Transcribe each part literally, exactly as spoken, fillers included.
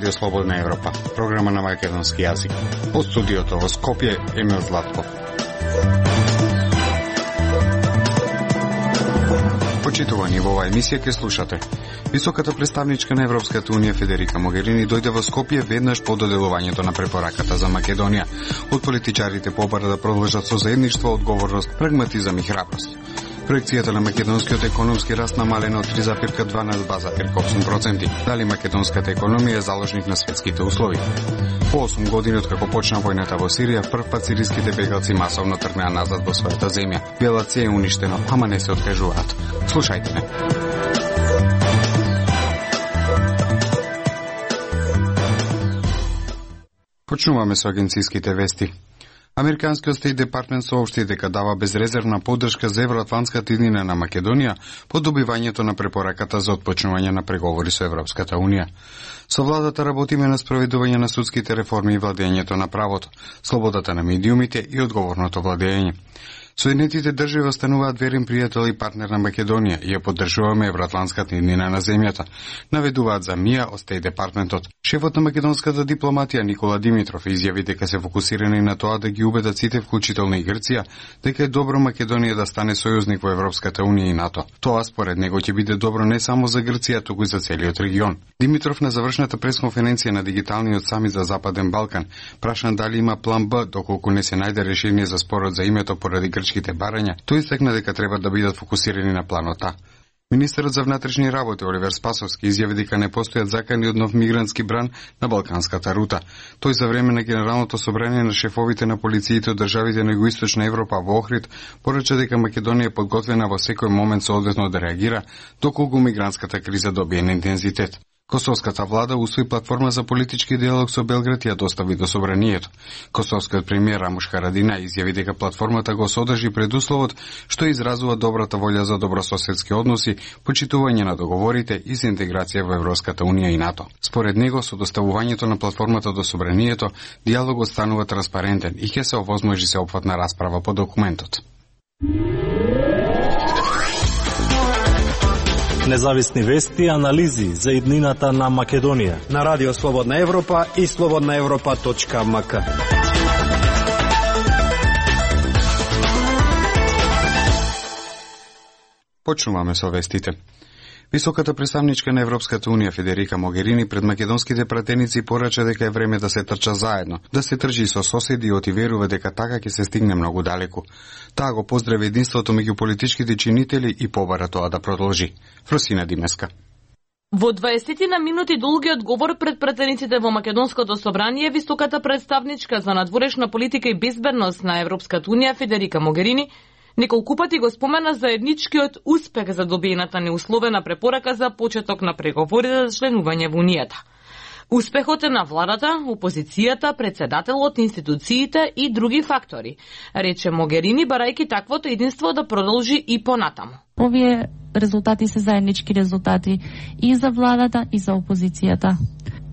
Радио Слободна Европа, програма на македонски јазик. Од студиото во Скопје, Емил Златков. Почитувани, во оваа емисија ќе слушате. Високата представничка на Европската унија Федерика Могерини дојде во Скопје веднаш по доделувањето на препораката за Македонија. Од политичарите побара да продолжат со заедништво, одговорност, прагматизам и храброст. Проекцијата на македонскиот економски раст намалена од три запирка два на два запирка осум проценти. Дали македонската економија е заложник на светските услови? По осум години откако почна војната во Сирија, прв пат сириските бегалци масовно тргнаа назад во својата земја. Белаце е уништено, ама не се откажуваат. Слушајте не. Почнуваме со агенциските вести. Американскиот Стейт Департмент соопшти дека дава безрезервна поддршка за евроатлантската иднина на Македонија по добивањето на препораката за отпочнување на преговори со Европската унија. Со владата работиме на спроведување на судските реформи и владењето на правото, слободата на медиумите и одговорното владење. Соединетите држави остануваат верен пријател и партнер на Македонија и ја поддржуваме евроатлантската иднина на земјата, наведуваат за МИА од Стейт Департментот. Шефот на македонската дипломатија Никола Димитров изјави дека се фокусирани на тоа да ги убедат сите, вклучително и Грција, дека е добро Македонија да стане сојузник во Европската унија и НАТО. Тоа според него ќе биде добро не само за Грција, туку и за целиот регион. Димитров на завршната пресконференција на дигиталниот самит за Западен Балкан прашан дали има план Б доколку не се најде решение за спорот за името поради грчките барања, тој истакна дека треба да бидат фокусирани на планот А. Министерот за внатрешни работи Оливер Спасовски изјави дека не постојат закани од нов мигрантски бран на балканската рута. Тој за време на Генералното собрание на шефовите на полициите од државите на Југоисточна Европа во Охрид порача дека Македонија е подготвена во секој момент соодветно да реагира доколку мигрантската криза добие на интензитет. Косовската влада усвои платформа за политички диалог со Белград и ја достави до собранието. Косовскиот премиер Рамуш Харадина изјави дека платформата го содржи предусловот што изразува добрата волја за добрососедски односи, почитување на договорите и за интеграција во Европската унија и НАТО. Според него, со доставувањето на платформата до собранието, диалогот станува транспарентен и ќе се овозможи сеопфатна расправа по документот. Независни вести и анализи за иднината на Македонија на Радио Слободна Европа и слободна европа точка ем ка. Почнуваме со вестите. Високата представничка на Европската унија Федерика Могерини пред македонските пратеници порача дека е време да се трча заедно, да се тржи со соседи и отиверува дека така ќе се стигне многу далеку. Таа го поздрави единството меѓу политичките чинители и побара тоа да продолжи. Фросина Димеска. Во дваесет минути долгиот говор пред пратениците во Македонското собрание, високата представничка за надворешна политика и безбедност на Европската унија Федерика Могерини неколку пати го спомена заедничкиот успех за добиената неусловена препорака за почеток на преговорите за членување во Унијата. Успехот е на владата, опозицијата, председателот, институциите и други фактори, рече Могерини, барајќи таквото единство да продолжи и понатаму. Овие резултати се заеднички резултати и за владата и за опозицијата.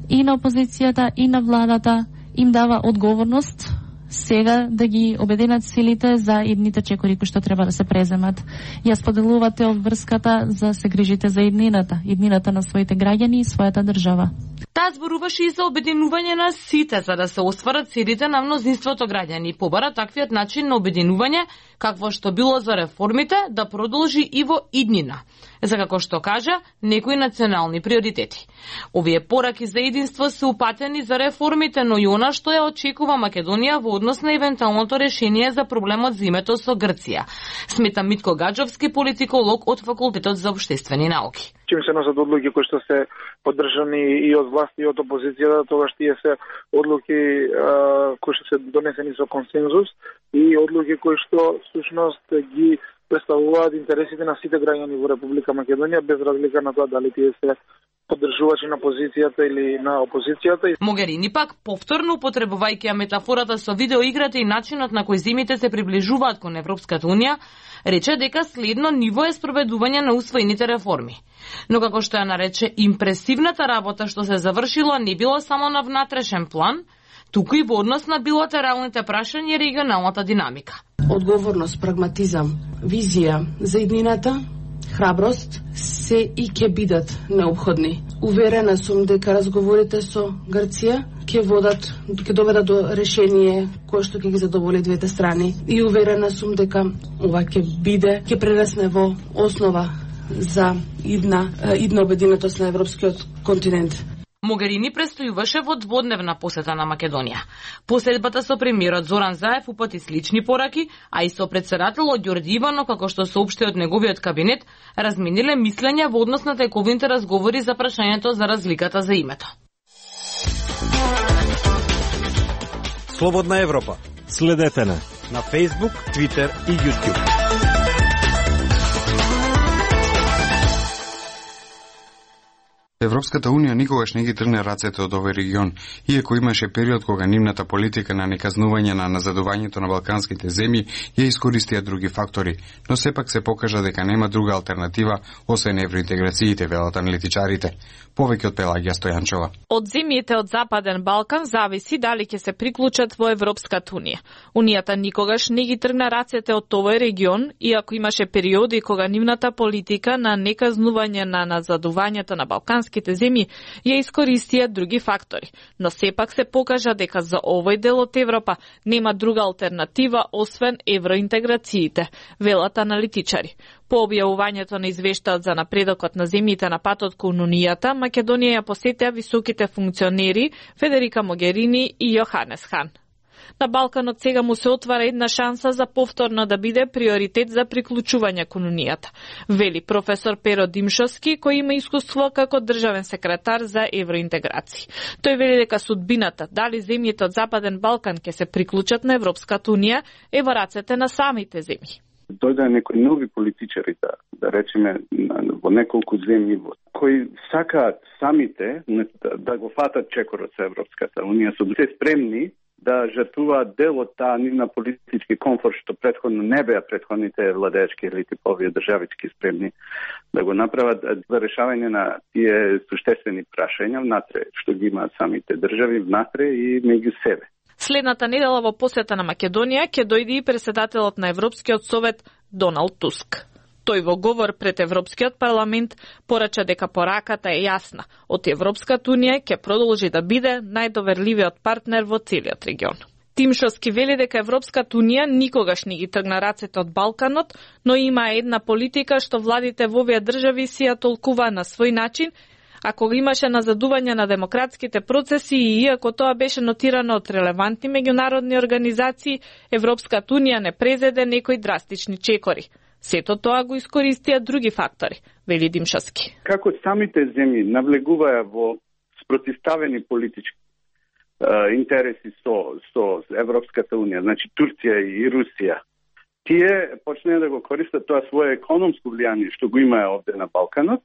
И на опозицијата и на владата им дава одговорност сега да ги обединат силите за идните чекори кои што треба да се преземат. Ја споделувате обврската за се грижите за иднината, иднината на своите граѓани и својата држава. Таа зборуваше и за обединување на сите за да се остварат целите на мнозинството граѓани и побара таквиот начин на обединување, какво што било за реформите, да продолжи и во иднина, за како што кажа, некои национални приоритети. Овие пораки за единство се упатени за реформите, но и она што ја очекува Македонија во однос на евентуалното решение за проблемот за името со Грција, смета Митко Гаджовски, политиколог од Факултетот за општествени науки. Чим се носат одлуки кои што се поддржани и од власти и од опозицијата, тогаш тие се одлуки а, кои што се донесени со консензус и одлуки кои што всушност ги представуваат интересите на сите граѓани во Република Македонија, без разлика на тоа дали тие се поддржувачи на позицијата или на опозицијата. Могерини пак, повторно употребувајќи ја метафората со видеоиграта и начинот на кој земјите се приближуваат кон Европската унија, рече дека следно ниво е спроведување на усвоените реформи. Но како што ја нарече, импресивната работа што се завршила не било само на внатрешен план, туку и во однос на билатералните прашања и регионалната динамика. Одговорност, прагматизам, визија за иднината храброст се и ќе бидат необходни. Уверена сум дека разговорите со Грција ќе водат, ќе доведат до решение кое што ќе ги задоволи двете страни. И уверена сум дека ова ќе биде, ќе прерасне во основа за идна, идна обединетост на европскиот континент. Могерини престојуваше во дводневна посета на Македонија. Посетбата со премиерот Зоран Заев упати слични пораки, а и со претседателот Ѓорѓи Иванов, како што соопшти од неговиот кабинет, размениле мислења во однос на тековите разговори за прашањето за разликата за името. Слободна Европа. Следете на на Facebook, Twitter и YouTube. Европската Унија никогаш не ги тргне рацете од овој регион, иако имаше период кога нивната политика на неказнување на назадувањето на балканските земји ја искористија други фактори, но сепак се покажа дека нема друга алтернатива освен евроинтеграциите, велат аналитичарите. Повеќе од Пелагија Стојанчова. Од земјите од Западен Балкан зависи дали ќе се приклучат во Европската Унија. Унијата никогаш не ги тргна рацете од овој регион, иако имаше периоди кога нивната политика на неказнување на назадувањето на балканските земји ја искористија други фактори, но сепак се покажа дека за овој дел од Европа нема друга алтернатива освен евроинтеграциите, велат аналитичари. По објавувањето на извештаот за напредокот на земјите на патот кон Унијата, Македонија ја посетија високите функционери Федерика Могерини и Јоханес Хан. На Балканот сега му се отвара една шанса за повторно да биде приоритет за приклучување кон Унијата, вели професор Перо Димшовски, кој има искуство како државен секретар за евроинтеграција. Тој вели дека судбината, дали земјите од Западен Балкан ќе се приклучат на Европската Унија, е во рацете на самите земји. Дојде некои нови политичари, да, да речеме, во неколку земји, кои сакаат самите да, да го фатат чекорот со Европската Унија, со се спремни да жртвуваат дел од таа нивна политички комфорт, што претходно не беа претходните владеечки елити по овие државички спремни да го направат за решавање на тие суштествени прашања внатре, што ги имаат самите држави внатре и меѓу себе. Следната недела во посета на Македонија ќе дојде и претседателот на Европскиот совет Доналд Туск. Тој во говор пред Европскиот парламент порача дека пораката е јасна. Од Европската Унија ќе продолжи да биде најдоверливиот партнер во целиот регион. Тимшовски вели дека Европската Унија никогаш не ги тргна рацете од Балканот, но има една политика што владите во овие држави си ја толкува на свој начин, ако имаше назадување на демократските процеси и иако тоа беше нотирано од релевантни меѓународни организации, Европската Унија не презеде некои драстични чекори. Сето тоа го искористија други фактори, вели Димшовски. Како самите земји навлегуваја во спротивставени политички е, интереси со, со Европската Унија, значи Турција и Русија, тие почнеа да го користат тоа свое економско влијание што го имаа овде на Балканот,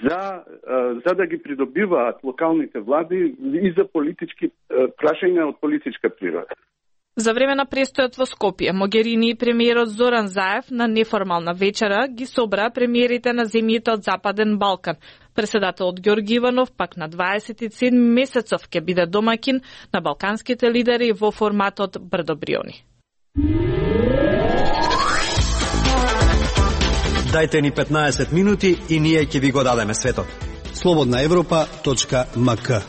за, за да ги придобиваат локалните влади и за политички прашања од политичка природа. За време на престојот во Скопје, Могерини и премиерот Зоран Заев на неформална вечера ги собра премиерите на земјите од Западен Балкан. Претседателот Ѓорѓи Иванов пак на дваесет и седми месецов ќе биде домакин на балканските лидери во форматот Брдо-Бриони. Дајте ни петнаесет минути и ние ќе ви го дадеме светот. слободна европа точка ем ка.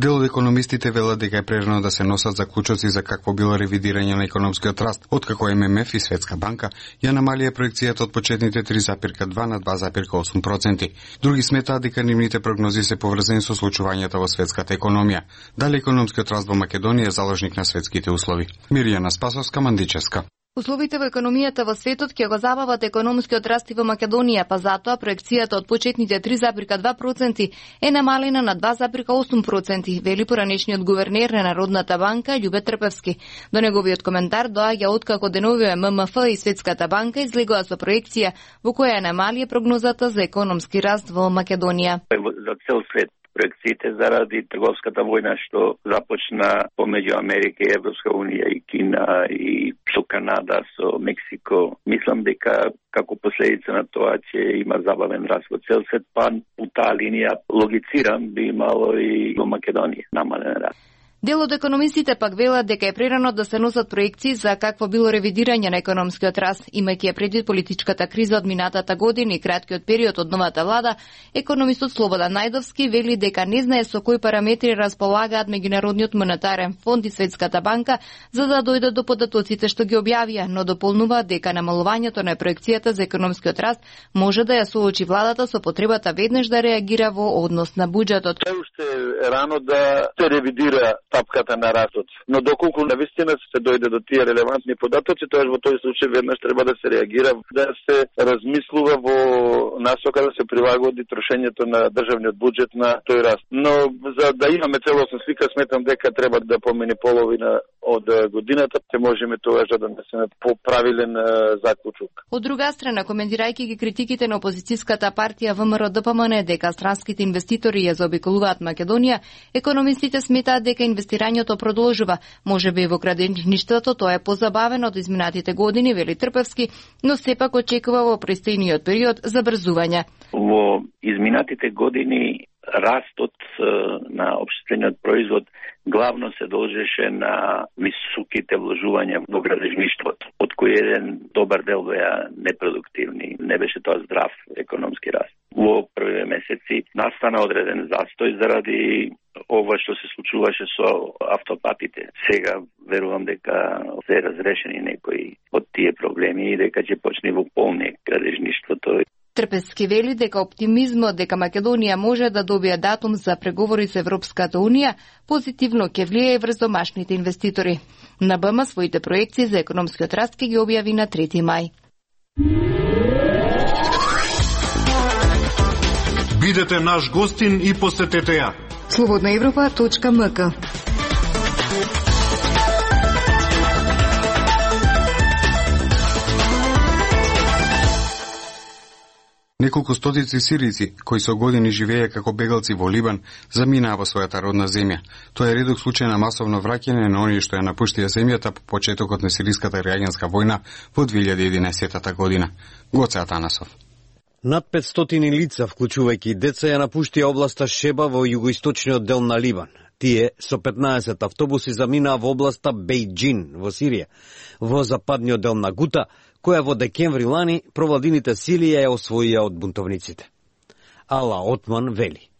Дел од економистите велат дека е прерано да се носат заклучоци за какво било ревидирање на економскиот раст, откако Ем Ем Еф и Светска банка ја намалија проекцијата од почетните три запирка два на два запирка осум проценти. Други сметаат дека нивните прогнози се поврзани со случувањата во светската економија. Дали економскиот раст во Македонија е заложник на светските услови? Миријана Спасовска, Мандичевска. Условите во економијата во светот ќе го забават економскиот раст и во Македонија, па затоа проекцијата од почетните три запирка два проценти е намалена на два запирка осум проценти, вели поранешниот гувернер на Народната банка Љубе Трпевски. До неговиот коментар доаѓа откако деновиве Ем Ем Еф и Светската банка излегоа со проекција во која намалија прогнозата за економски раст во Македонија. За цел свет проекциите заради трговската војна што започна помеѓу Америка и Европска Унија и Кина и со Канада, со Мексико. Мислам дека како последица на тоа ќе има забавен раст во цел свет, па по таа линија логицирам би имало и во Македонија намален раст. Дел од економистите пак велат дека е прерано да се носат проекции за какво било ревидирање на економскиот раст, имајќи ја предвид политичката криза од минатата година и краткиот период од новата влада. Економистот Слободан Најдовски вели дека не знае со кои параметри располагаат Меѓународниот монетарен фонд и Светската банка за да дојдат до податоците што ги објавија, но дополнуваат дека намалувањето на проекцијата за економскиот раст може да ја соочи владата со потребата веднаш да реагира во однос на буџетот. Тоа уште е рано да се ревидира стапката на растот. Но доколку навистина се дојде до тие релевантни податоци, тоа во тој случај веднаш треба да се реагира, да се размислува во насока да се прилагоди трошењето на државниот буџет на тој раст. Но за да имаме целосна слика, сметам дека треба да помине половина од годината, ќе можеме тогаш да донесеме поправилен заклучок. Од друга страна, коментирајќи ги критиките на опозицијската партија ВМРО Д П М Н дека странските инвеститори ја заобиколуваат Македонија, економистите сметаат дека инвестирањето продолжува. Може би во градиничништвото тоа е позабавено од изминатите години, вели Трпевски, но сепак очекува во престојниот период забрзување. Во изминатите години растот на општествениот производ главно се должеше на високите вложувања во градежништвото, од кои еден добар дел беа непродуктивни, не беше тоа здрав економски раст. Во првите месеци настана одреден застој заради ова што се случуваше со автопатите. Сега верувам дека се разрешени некои од тие проблеми и дека ќе почне во полне градежништвото. Трпевски вели дека оптимизмот дека Македонија може да добие датум за преговори со Европската Унија позитивно ќе влијае врз домашните инвеститори. На БМ своите проекции за економскиот раст ќе ги објави на трети мај. Бидете наш гостин и посетете ја. слободна европа точка м к. Неколку стотици сирици, кои со години живееја како бегалци во Либан, заминаа во својата родна земја. Тоа е редок случај на масовно враќање на оние што ја напуштија земјата по почетокот на сириската граѓанска војна во две илјади и единаесета година. Гоце Атанасов. Над петстотини лица, вклучувајќи деца, ја напуштија областа Шеба во југоисточниот дел на Либан. Тие со петнаесет автобуси заминаа во областа Бејџин во Сирија, во западниот дел на Гута, која во декември лани провладините сили ја освоија од бунтовниците. Ала Отман вели.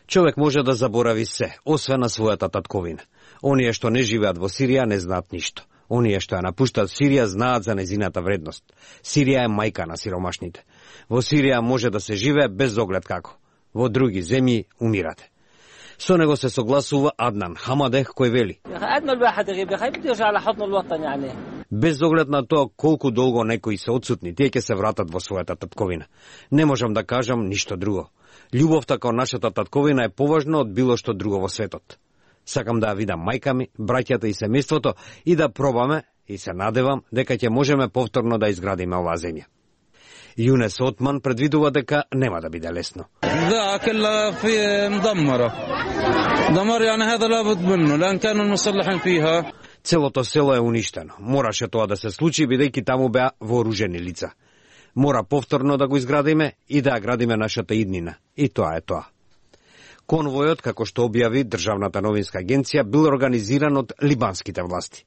Човек може да заборави се, освен на својата татковина. Оние што не живеат во Сирија не знаат ништо. Оние што ја напуштат Сирија знаат за незината вредност. Сирија е мајка на сиромашните. Во Сирија може да се живее без оглед како. Во други земји умирате. Со него се согласува Аднан Хамадех, кој вели. Без оглед на тоа колку долго некои се отсутни, тие ќе се вратат во својата татковина. Не можам да кажам ништо друго. Љубовта кон нашата татковина е поважна од било што друго во светот. Сакам да ја видам мајка ми, браќата и семејството и да пробаме, и се надевам дека ќе можеме повторно да изградиме оваа земја. Јунес Отман предвидува дека нема да биде лесно. Да, كلها في مدمرة. دمر يعني هذا لابد منه لأن كانوا المصلحين فيها. Целото село е уништено. Мораше тоа да се случи бидејќи таму беа вооружени лица. Мора повторно да го изградиме и да ја градиме нашата иднина. И тоа е тоа. Конвојот, како што објави Државната новинска агенција, бил организиран од либанските власти.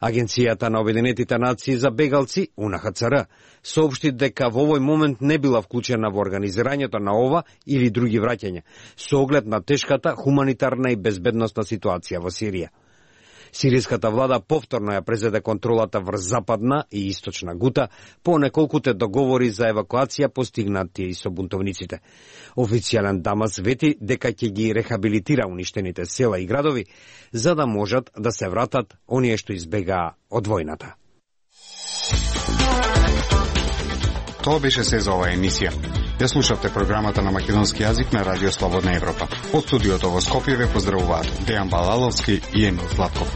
Агенцијата на Обединетите нации за бегалци, У Н Х Ц Р, соопшти дека во овој момент не била вклучена во организирањето на ова или други враќања, со оглед на тешката хуманитарна и безбедносна ситуација во Сирија. Сириската влада повторно ја презеде контролата врз западна и источна Гута по неколкуте договори за евакуација постигнати и со бунтовниците. Официјален Дамас вети дека ќе ги рехабилитира уништените села и градови за да можат да се вратат оние што избегаа од војната. Тоа беше се за оваа емисија. Ја слушавте програмата на македонски јазик на Радио Слободна Европа. Од студиото во Скопје ве поздравуваат Дејан Балаловски и Емил Златков.